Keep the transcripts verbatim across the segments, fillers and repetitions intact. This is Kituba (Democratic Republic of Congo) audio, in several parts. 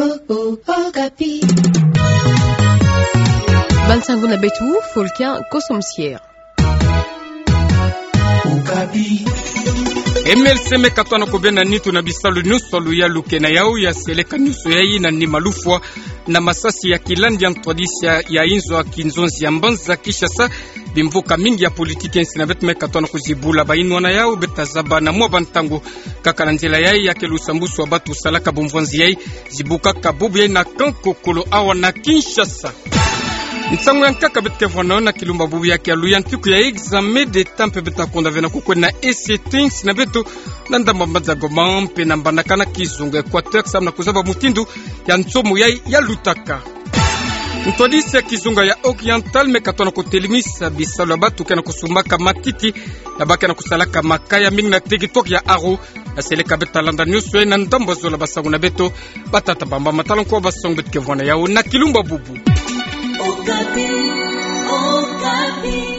Okapi. Bansangu na beto, Folkia Kosomsier. Okapi. M L C me katoa na kubena nitu na bisalu nyonso ya luyalu ke na yau ya seleka nyonso yayi na nima lufwa na masasi ya kilandi ya ntwadisi ya inzo ya kinzonzi ya mbanza Kinshasa. Bimvuka mingi ya politiki ya nsi na beto me katoa na kuzibula bayinwa na yau, beta zaba na mwa bantangu. Kaka na nzila yayi ya ke lusambusu wa batu salaka bumvwanzi yayi, zibukaka bubu yayi na kankokolo awa na Kinshasa. Nsangu ya nkaka beto ke vwa na yo na kilumbu bubu ya ke alu ya ntuku ya examen d'État mpe beta konda ve na kukwenda na E C T nsi na beto, na ndamba mbanza Goma mpe na mbanakana kizunga Équateur, samu na kuzaba mutindu ya nsomo yayi ya lutaka. Ntwadisi ya kizunga ya Oriental me katoa na kutelemisa bisalu ya batu ke na kusumbaka matiti, na ba ke na kusalaka makaya mingi na territoire ya Aru. Na seleka beta landa nyonso yayi na ndambu zola. Basangu na beto, batata bamba, matala nko basangu beto ke vwa na yau na kilumbu bubu. Okapi, Okapi.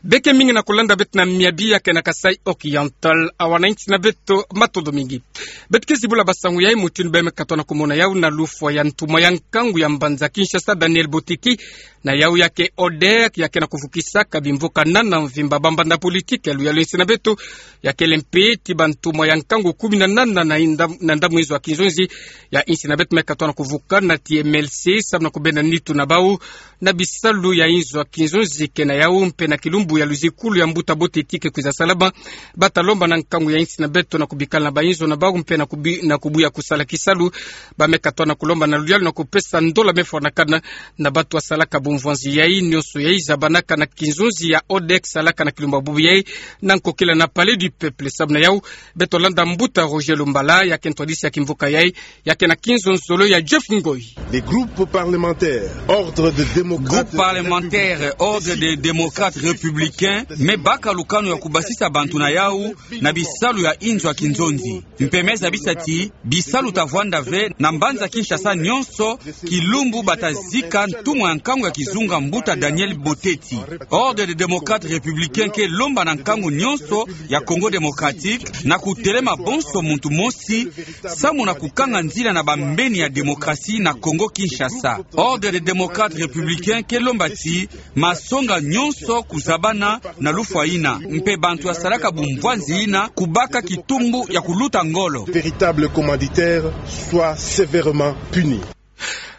Beke mingi na kulanda beto na miabi ya ke na Kasaï Oriental, awa na nsi na beto, matondo mingi. Beto ke zibula basangu yayi mutindu bê me katoa na kumona yau na lufwa ya ntumwa ya nkangu ya mbanza Kinshasa, Daniel Boteti, na yau ya ke ODEC, ya ke na kuvukisaka bimvuka nana mvimba bambanda politiki ya luyalu ya nsi na beto, ya kele mpe ti bantumwa ya nkangu kumi na nana na inda-, na ndambu inzo ya kinzonzi ya nsi na beto me katoa na kuvukana ti M L C, samu na kubena nitu na bau na bisalu ya inzo ya kinzonzi ke na yau mpe na kilumbu ya luzikulu ya mbuta Boteti ke kwiza salama. Bata lomba na nkangu ya nsi na beto na kubikala na bainzo na bau mpe na kubi-, na kubuya kusala kisalu. Ba me katoa na kulomba na luyalu na kupesa ndola me fwanakana na batu wasalaka bumvwanzi yayi nyonso yayi zabanaka na kinzonzi ya ODEC salaka na kilumbu bubu yayi na nkokila na Palais du Peuple. Samu na yau, beto landa mbuta Roger Lumbala, ya ke ntwadisi ya kimvuka yayi, ya ke na kinzonzolo ya Jeff Ngoy. Les groupes parlementaires, Ordre des démocrates. Groupe parlementaire Ordre des démocrates républicains me baka lukanu ya kubasisa bantu na yau na bisalu ya inzo ya kinzonzi. Mpe me zabisa ti bisalu ta vwanda ve na mbanza Kinshasa nyonso, kilumbu bata zika ntumwa ya nkangu ya kizunga mbuta Daniel Boteti. Ordre des démocrates républicains ke lomba na nkangu nyonso ya Congo démocratique na kutelema bonso muntu mosi, samu na kukanga nzila na bambeni ya démocratie na Congo Kinshasa. Ordre des démocrates républicains ke lomba ti masonga nyonso kuzabana na lufwa yina, mpe bantu wasalaka bumvwanzi yina kubaka kitumbu ya kuluta ngolo. Véritables commanditaires soient sévèrement punis.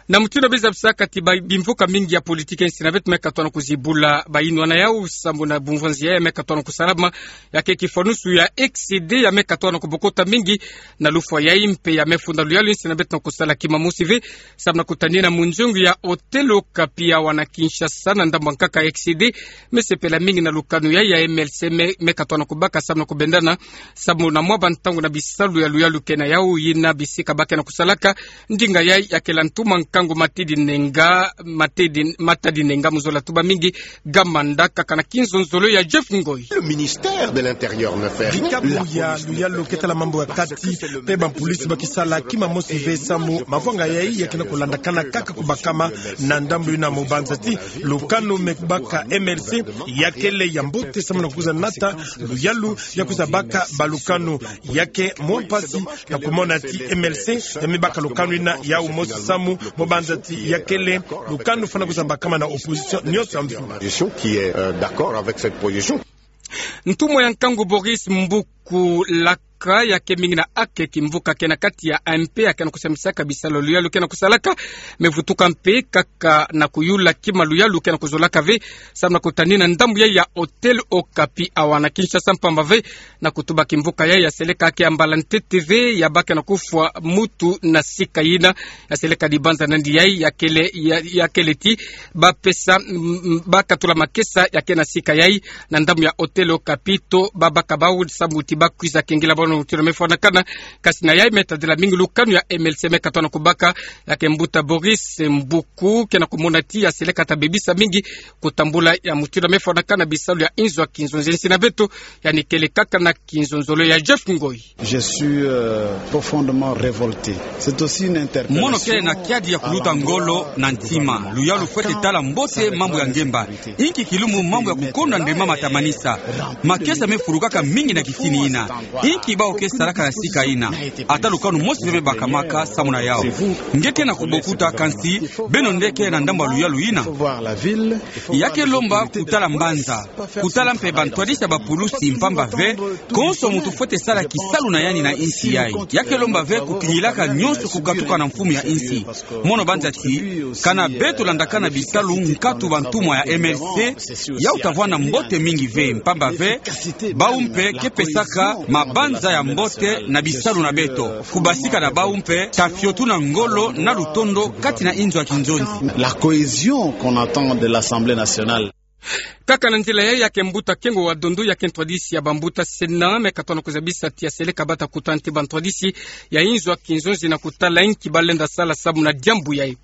Na mutindu bê zabisaka ti ba-, bimvuka mingi ya politiki ya nsi na beto me katoa na kuzibula bayinwa na yau samu na bumvwanzi ya me katoa na kusalama, ya ke kifwanusu ya excédent ya me katoa na kubokota mingi na lufwa yayi mpe ya me funda luyalu ya nsi na beto na kusala kima mosi ve, samu na kutanina munzungu ya Hôtel Okapi awa na Kinshasa na ndambu nkaka excédent. Me sepela mingi na lukanu yayi ya M L C me, me katoa na kubaka samu na kubendana, samu na mwa bantangu na bisalu ya luyalu ke na yau, yina bisika ba ke na kusalaka ndinga yayi ya kele ntumwa nkangu Matidi Nenga, Matidi, Matadi Nenga mu zola tuba mingi, Gamanda, kaka na kinzonzolo ya Jeff Ngoy. Le ministère de l'Intérieur ne fait rien. Dikabu ya luyalu ke tala mambu ya kati, mpe bampolisi ba kisala kima mosi ve samu mavwanga yayi ya ke na kulandakana kaka kubakama na ndambu yina mu banza ti lukanu me baka M L C ya kele ya mbote samu na kwiza nata luyalu ya kwiza baka balukanu. Ya ke mwa mpasi na kumona ti M L C ya me baka lukanu yina yau mosi samu mu banza ti ya kele lukanu fwana kwiza bakama na opposition nyonso ya mvimba. Opposition qui est, euh, d'accord avec cette position. Ntumwa ya nkangu Boris Mbuku Laka ya ke mingi na ake kimvuka ke na kati ya M P ya ke na kusambisaka bisalu luyalu ke na kusalaka, me vutuka mpe kaka na kuyula kima luyalu ke na kuzolaka ve, samu na kutanina ndambu yayi ya Hôtel Okapi awa na Kinshasa mpamba ve na kutuba kimvuka yayi ya seleka ke ya mbala ntete ve ya ba ke na kufwa mutu na sika yina, ya seleka dibanza nandi yayi ya kele, ya, ya kele ti ba pesa, mm, mm, ba katula makesa ya ke na sika yayi na ndambu ya Hôtel Okapi to ba baka bau samu ti ba kwiza kengela bau na mutindu me fwanakana. Kasi na yayi me tadila mingi lukanu ya M L C me katoa na kubaka, ya ke mbuta Boris Mbuku ke na kumona ti ya seleka ta bebisa mingi kutambula ya mutindu me fwanakana bisalu ya inzo ya kinzonzi ya nsi na beto, yandi kele kaka na kinzonzolo ya Jeff Ngoy. Je suis, euh, profondément révolté. C'est aussi une interpellation. Mono kele na kiadi ya kuluta ngolo na ntima. Luyalu fwete tala mbote mambu ya ngemba. Inki kilumbu mambu ya kukonda ndemama ta manisa. Makesa me fulukaka mingi na kisini. ina. Inki bau ke salaka na sika ina? Ata lukanu mosi mpe me bakamaka samu na yau. Nge ke na kubokuta, kansi beno nde ke na ndambu ya luyalu ina. Ya ke lomba kutala mbanza, kutala mpe bantwadisi ya bapulusi, mpamba ve konso muntu fwete sala kisalu na yandi na insi yai. Ya ke lomba ve kukingilaka nionso kukatuka na mfumu ya insi. Mono banza ti, kana beto landakana bisalu nkatu bantumwa ya M L C, yau ta vwanda mbote mingi ve, mpamba ve bau mpe ke pesaka mabanza ya mbote na bisalu na beto. Kubasika na bau mpe ta fiotuna ngolo na lutondo kati na inzo ya kinzonzi. La cohésion qu'on attend de l'Assemblée nationale. Kaka na nzila yai, ya ke mbuta Kengo wa Dondo, ya ke ntwadisi ya bambuta Sénat, me katona kuzabisa ti aseleka bata kutana ti bantwadisi ya inzo ya kinzonzi na kutala inki balenda sala samu na diambu yai.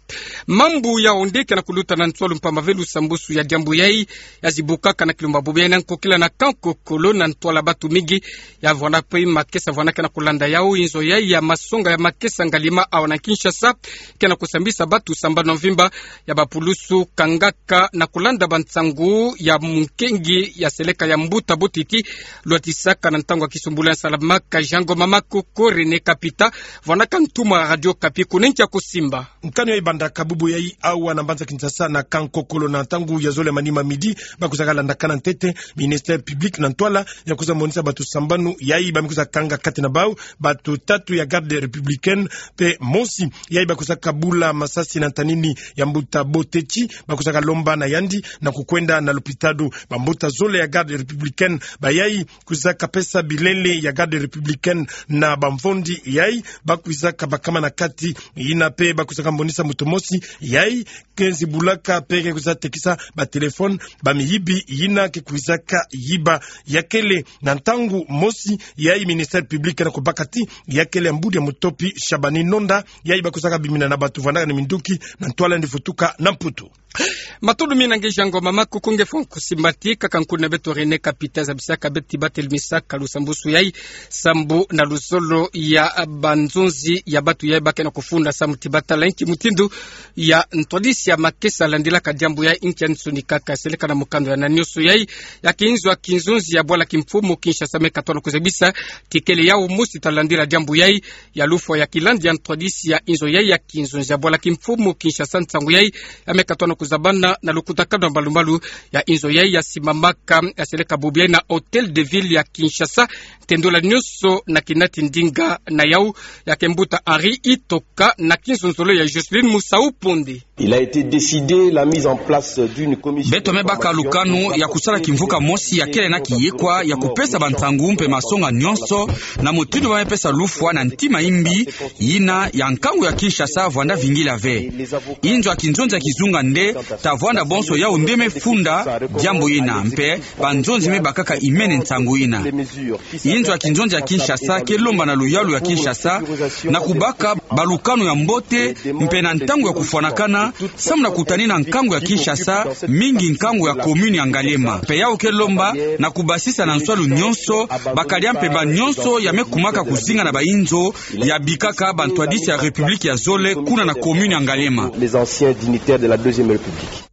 Mambu ya onde ke na kuluta na ntwalu, mpamba ve lusambusu ya diambu yai ya zibukaka na kilumba bubu yai na nkokila na Kankokolo, na ntwala batu mingi ya vwanda pe makesa vwanda ke na kulanda yau. Inzo yai ya masonga ya makesa Ngalima awa na Kinshasa ke na kusambisa batu sambanu mvimba ya bapulusu kangaka na kulanda bansangu ya munkengi ya seleka ya mbuta Boteti, lwatisaka na ntangu ya kisumbulu ya nsalamaka. Jean Ngoma Makoko, René Kapita, vwandaka ntumwa Radio Okapi, kuna nkia kusimba. Nkanu yai bandaka bubu yai awa na mbanza Kinshasa na Kankokolo na ntangu ya zole manima midi, ba kwizaka landakana ntete ministère public na ntwala ya kwiza monisa batu sambanu yai ba me kwiza kanga kati na bau batu tatu ya garde républicaine, pe mosi yai ba kwizaka bula masasi na ntanini ya mbuta Boteti, ba kwizaka lomba na yandi na kukwenda na lopitalo. Bambuta zole ya garde républicaine ba yai kwizaka pesa bilele ya garde républicaine na bamvondi yai ba kwizaka bakama na kati. Yina pe ba kwizaka monisa moto mosi yai ke zibulaka pe ke kwiza tekisa batelefone bamiyibi yina ke kwizaka yiba. Ya kele na ntangu mosi yai ministère public na kubaka ti ya kele mbudi ya mutopi Shabani Nonda, yai ba kwizaka bimina na batu vwandaka na minduki na ntwala yandi vutuka na Mputu. Matondo mingi na nge Jean Ngoma Makoko, nge fo kusimba ti kaka nkuna beto René Kapita zabisaka beto ti ba telumisaka lusambusu yai sambu na luzolo ya banzonzi ya batu yai ba ke na kufunda samu ti ba tala inki mutindu ya ntwadisi ya makesa landilaka diambu yai, inki ya nsoni kaka seleka na mukanda ya na nionso yai. Ya ke inzo ya kinzonzi ya bwala kimfumu Kinshasa me katona kuzabisa ti kele yau mosi ta landila diambu yai ya lufwa ya kilandi ya ntwadisi ya inzo yai ya kinzonzi ya bwala kimfumu Kinshasa. Nsangu yai ya me katona kuzabana na lukutakanu ya mbalumbalu ya inzo yai ya simamaka ya seleka bubu yai na Hôtel de Ville ya Kinshasa. Ntendula nionso na kinati ndinga na yau. Ya ke mbuta Henri Itoka na kinzonzolo ya Jocelyne Musau Ponde. Il a été décidé la mise en place d'une commission. Beto me baka lukanu ya kusala kimvuka mosi ya kele na kiyekwa ya kupesa bansangu mpe masonga nionso na mutindu ba me pesa lufwa na ntima imbi, yina ya nkangu ya Kinshasa vwanda vingila ve. Inzo ya kinzonzi ya kizunga nde ta vwanda bonso yau nde me funda diambu yina, mpe banzonzi me bakaka imene nsangu yina. Inzo ya kinzonzi ya Kinshasa ke lomba na luyalu ya Kinshasa na kubaka balukanu ya mbote mpe na ntangu ya kufwanakana, samu na kutanina nkangu ya Kinshasa, mingi nkangu ya commune ya Ngaliema. Mpe yau ke lomba na kubasisa na nswalu nionso bakadi ya mpemba nionso ya me kumaka kuzinga na bainzo ya bikaka bantwadisi ya République ya zole kuna na commune ya Ngaliema. Les anciens dignitaires de la Deuxième République.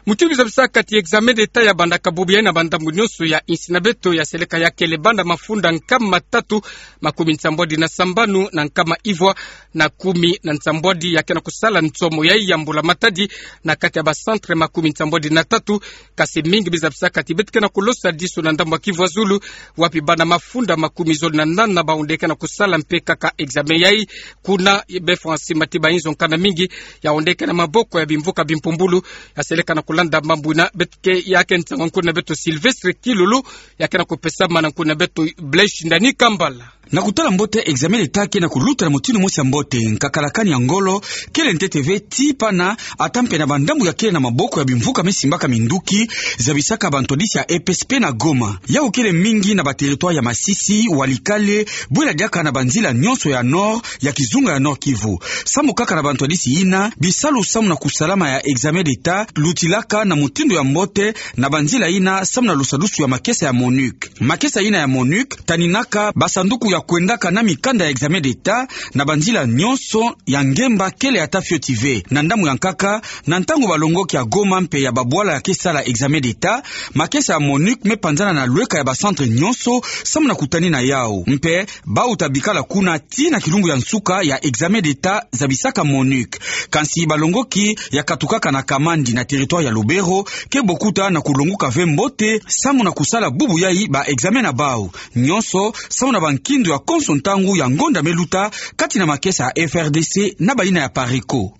Mutindu zabisaka ti examen d'État ya bandaka bubu yai na bandambu nionso ya insi na beto ya seleka ya kele banda mafunda nkama tatu makumi nsambwadi na sambanu na nkama ivwa na kumi na nsambwadi ya ke na kusala nsomo yai ya mbula matadi na kati ya ba centre makumi nsambwadi na tatu. Kasi mingi bi zabisaka ti beto ke na kulosa disu na ndambu ya Kivu ya Zulu, wapi bana mafunda makumi zole na nana bawu nde ke na kusala mpe kaka examen yai. Kuna be fwa nsi mati bainzo nkana mingi yawu nde ke na maboko ya bimvuka bimpumbulu. Ya seleka na kulanda mambu yina, beto ke ya ke nsangu nkuna beto Sylvestre Kilolo, ya ke na kupesa ma na nkuna beto Blaise Shindani Kambala. Na kutala mbote examen d'État ke na kuluta na mutindu mosi ya mbote, nkakalakani ya ngolo kele ntete ve ti pana, ata mpe na bandambu ya kele na maboko ya bimvuka me simbaka minduki, zabisaka bantwadisi ya E P S P na Goma. Yawu kele mingi na ba territoire ya Masisi, Walikale, bwela diaka na banzila nionso ya Nord, ya kizunga ya Nord-Kivu. Samu kaka na bantwadisi yina, bisalu samu na kusalama ya examen d'État lutilaka ka na mutindu ya mbote na banzila ina samu na lusadusu ya makesa ya MONUC. Makesa ina ya MONUC taninaka basanduku ya kwendaka na mikanda ya examen d'État na banzila nyonso ya ngemba kele ata fioti ve. Na ndambu ya nkaka, na ntangu balongoki ya Goma mpe ya babwala ya ke sala examen d'État, makesa ya MONUC me panzana na lweka ya bacentre nyonso samu na kutani na yau. Mpe bau ta bikala kuna tii na kilumbu ya nsuka ya examen d'État, zabisaka MONUC. Kansi balongoki ya katukaka na Kamandi na territoire ya Lubero ke bokuta na kulonguka ve mbote samu na kusala bubu yai ba examen na bau. Nyonso samu na bankindu ya konso ntangu ya ngonda me luta kati na makesa ya F R D C na bayina ya PARECO.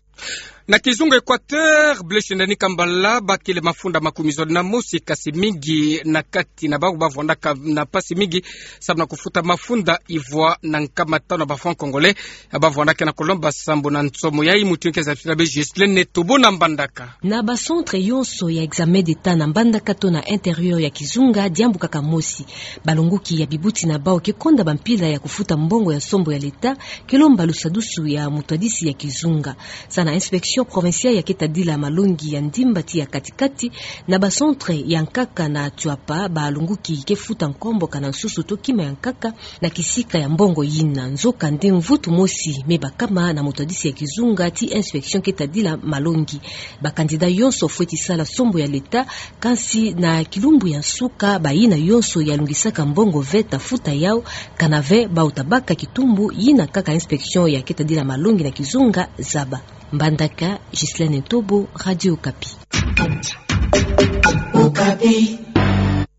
Na kizunga Équateur, Blaise Shindani Kambala, bakele mafunda makumi zole na mosi, kasi mingi na kati na bau bavwandaka na mpasi mingi samu na kufuta mafunda ivwa na nkama tanu ya ba francs congolais. Bavwandaka na kulomba sambu na nsomo yai. Mutindu ke zabisila bie Ghislaine Tobo na Mbandaka. Na bacentre yonso ya examen d'État na Mbandaka to na intérieur ya kizunga, diambu kaka mosi. Balonguki ya bibuti na bau ke konda bampila ya kufuta mbongo ya sombo ya l'État, ke lomba lusadusu ya mutwadisi ya kizunga. Sa na inspection provinciale ya ke tadila malongi ya ndimba ti ya kati-kati, na bacentre ya nkaka na Tshuapa, balonguki ke futa nkombo kana nsusu to kima ya nkaka na kisika ya mbongo yina. Nzokande mvutu mosi me bakama na mutwadisi ya kizunga ti inspection ke tadila malongi. Ba candidat yonso fweti sala sombo ya l'État, kansi na kilumbu ya nsuka bayina yonso ya lungisaka mbongo ve ta futa yau, kana ve bau ta baka kitumbu yina kaka inspection ya ke tadila malongi na kizunga zaba. Mbandaka, Ghislaine Tobo, Radio Okapi.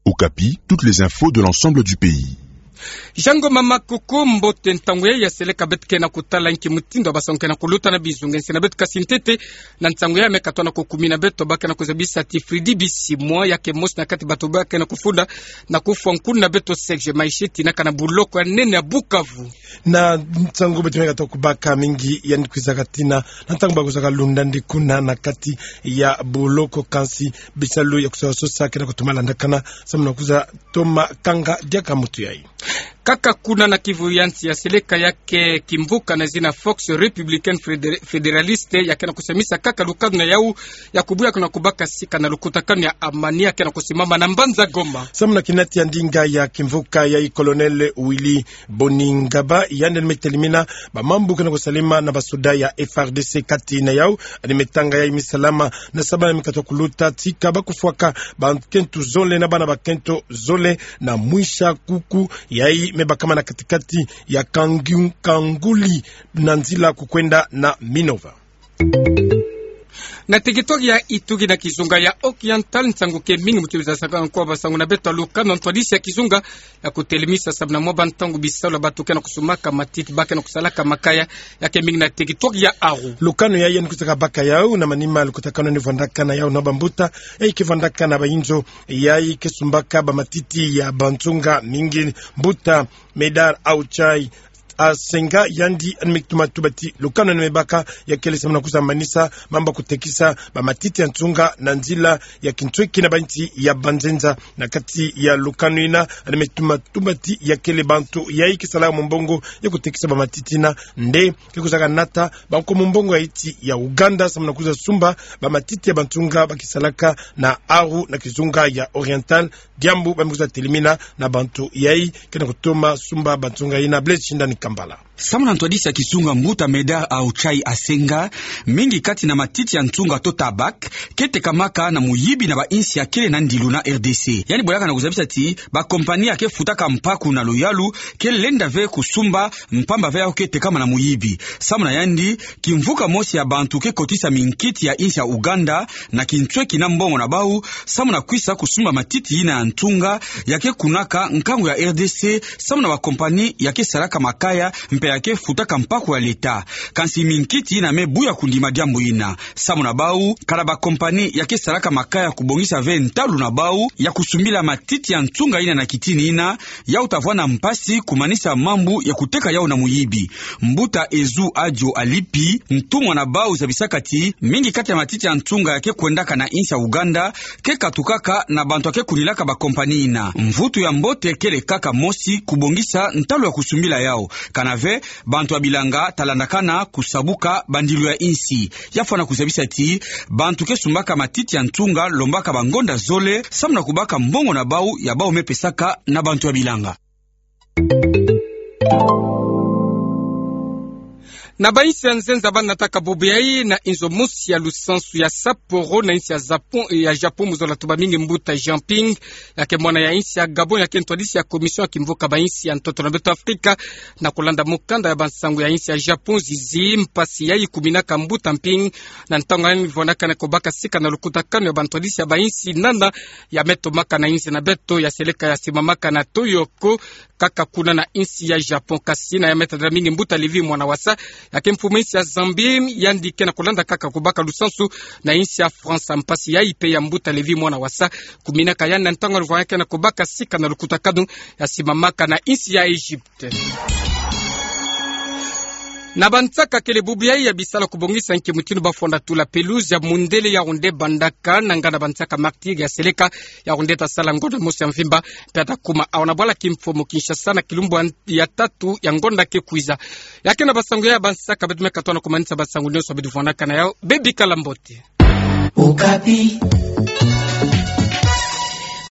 Okapi, toutes les infos de l'ensemble du pays. Jango mama, kuku mbote. Ntangu yai ya seleka beto ke na kutala nki mutindu ya basangu ke na kuluta na bizunga nsi na beto, kasi ntete na nsangu yai me katoa na kukumina beto, ba ke na kuzabisa ti Freddy Bisimwa, ya ke mosi na kati bantu ba ke na kufunda na kufwa nkuna na beto Serge Maisheti, na kana buloko ya nene ya Bukavu. Na nsangu beto me katoa kubaka mingi, yandi kwizaka tina na ntangu ba kwizaka lunda ndi kuna na kati ya buloko, kansi bisalu ya kusosa ke na kutoma landakana samu na kwiza toma kanga diaka mutu yai. Kaka kuna na Kivu ya nsi, ya seleka ya ke kimvuka na zina Force Républicaine Fédé-, Fédéraliste, ya ke na kusamisa kaka lukanu na yau ya kubuya kuna kubaka sika na lukutakanu ya amani ya ke na kusimama na mbanza Goma. Samu na kinati ya ndinga ya kimvuka yai, Colonel Willy Boningaba, yandi me telimina ba mambu ke na kusalama na basoda ya F R D C kati na yau, yandi me tanga yai misalama na sabana me katoa kuluta, tika ba kufwaka bakento zole na bana bakento zole na mwisa kuku yai me bakama na kati-kati ya Kangi-, Kanguli na nzila kukwenda na Minova. Na territoire ya Ituri na kizunga ya Oriental, nsangu ke mingi mutindu za saka nkwa basangu na beto ya lukanu na ntwadisi ya kizunga ya kutelemisa samu na mwa bantangu bisalu ya bantu ke na kusumaka matiti, ba ke na kusalaka makaya, ya ke mingi na territoire ya Aru. Lukanu yai yandi kwizaka baka yau na manima lukutakanu yandi vwandaka na yau na bambuta yai ke vwandaka na bayinzo yai ke sumbaka bamatiti ya banzunga mingi. Mbuta Medard Auchai Asenga, yandi yandi me tuma tuba ti lukanu yandi me baka ya kele samu na kwiza manisa mambu ya kutekisa bamatiti ya nzunga na nzila ya kinsweki na bansi ya banzenza. Na kati ya lukanu yina, yandi me tuma tuba ti ya kele bantu yai ke sala mumbongo ya kutekisa bamatiti yina nde ke kwizaka nata banko mumbongo ya insi ya Ouganda samu na kwiza sumba bamatiti ya banzunga ba ke salaka na Aru na kizunga ya Oriental. Diambu ba me kwiza telemina na bantu yai ke na kutoma sumba banzunga yina. Blaise Shindani Kambala. Samu na ntwadisi ya kizunga, mbuta Medard Auchai Asenga, mingi kati na matiti ya nzunga to tabac ke tekamaka na muyibi na bainsi ya kele na ndilu na R D C. Yandi bwelaka na kuzabisa ti bakompani ya ke futaka mpaku na luyalu ke lenda ve kusumba, mpamba ve yau ke tekama na muyibi. Samu na yandi, kimvuka mosi ya bantu ke kotisa minkiti ya insi ya Ouganda na kinsweki na mbongo na bau samu na kwisa kusumba matiti yina ya nzunga ya ke kunaka nkangu ya R D C samu na bakompani ya ke salaka makaya mpe ya ke futaka mpaku ya leta. Kansi minkiti yina me buya kundima diambu yina. Samu na bau, kana bakompani ya ke salaka makaya kubongisa ve ntalu na bau ya kusumbila matiti ya nzunga yina na kitini yina, yau ta vwanda mpasi kumanisa mambu ya kuteka yau na muyibi. Mbuta Ezu Adio Alipi, ntumwa na bau, zabisaka ti mingi kati ya matiti ya nzunga ya ke kwendaka na insi ya Ouganda ke katukaka na bantu ya ke kunilaka bakompani yina. Mvutu ya mbote kele kaka mosi, kubongisa ntalu ya kusumbila yau. Kana ve, Bantu ya bilanga ta landakana kusabuka bandilu ya insi. Ya fwana kuzabisa ti bantu ke sumbaka matiti ya ntunga, lombaka bangonda zole, samu na kubaka mbongo na bau ya bau me pesaka na bantu ya bilanga. Na bainsi ya nzenza ba nataka bubu yayi na inzo mosi ya lusansu ya Sapporo na insi ya Japon, ya Japon mu zola tuba mingi mbuta Jinping, ya ke mwana ya insi ya Gabon, ya ke ntwadisi ya Commission ya kimvuka bainsi ya ntoto na beto Afrika, na kulanda mukanda ya bansangu ya insi ya Japon zizi, mpasi yayi kuminaka mbuta Jinping na ntangu yayi vwanakana kubaka sika na lukutakanu ya bantwadisi ya bainsi nana ya me tomaka na insi na beto ya seleka ya simamaka na Tokyo, kaka kuna na insi ya Japon. Kasi na ya me tadila mingi mbuta Lévy Mwana Wasa, ya ke mfumu insi ya Zambie, yandi ke na kulanda kaka kubaka lusansu na insi ya France. Mpasi yayi mpe ya mbuta Lévy Mwana Wasa kuminaka yandi na ntangu ya luvanga ke na kubaka sika na lukutakanu ya simamaka na insi ya Egypte. Na bansaka kele bubu yayi ya bisala kubongisa nki mutindu ba fwanda tula pelouse ya mundele Yaoundé Bandaka, na nganda bansaka Martyrs ya seleka Yaoundé ta sala ngonda mosi ya mvimba, mpe ta kuma awa na bwala kimfumu Kinshasa na kilumbu ya tatu ya ngonda ke kwiza. Ya ke na basangu ya bansaka, beto me katoa na kumanisa basangu nyonso beto vwanakana yau. Bebika la mbote. Okapi.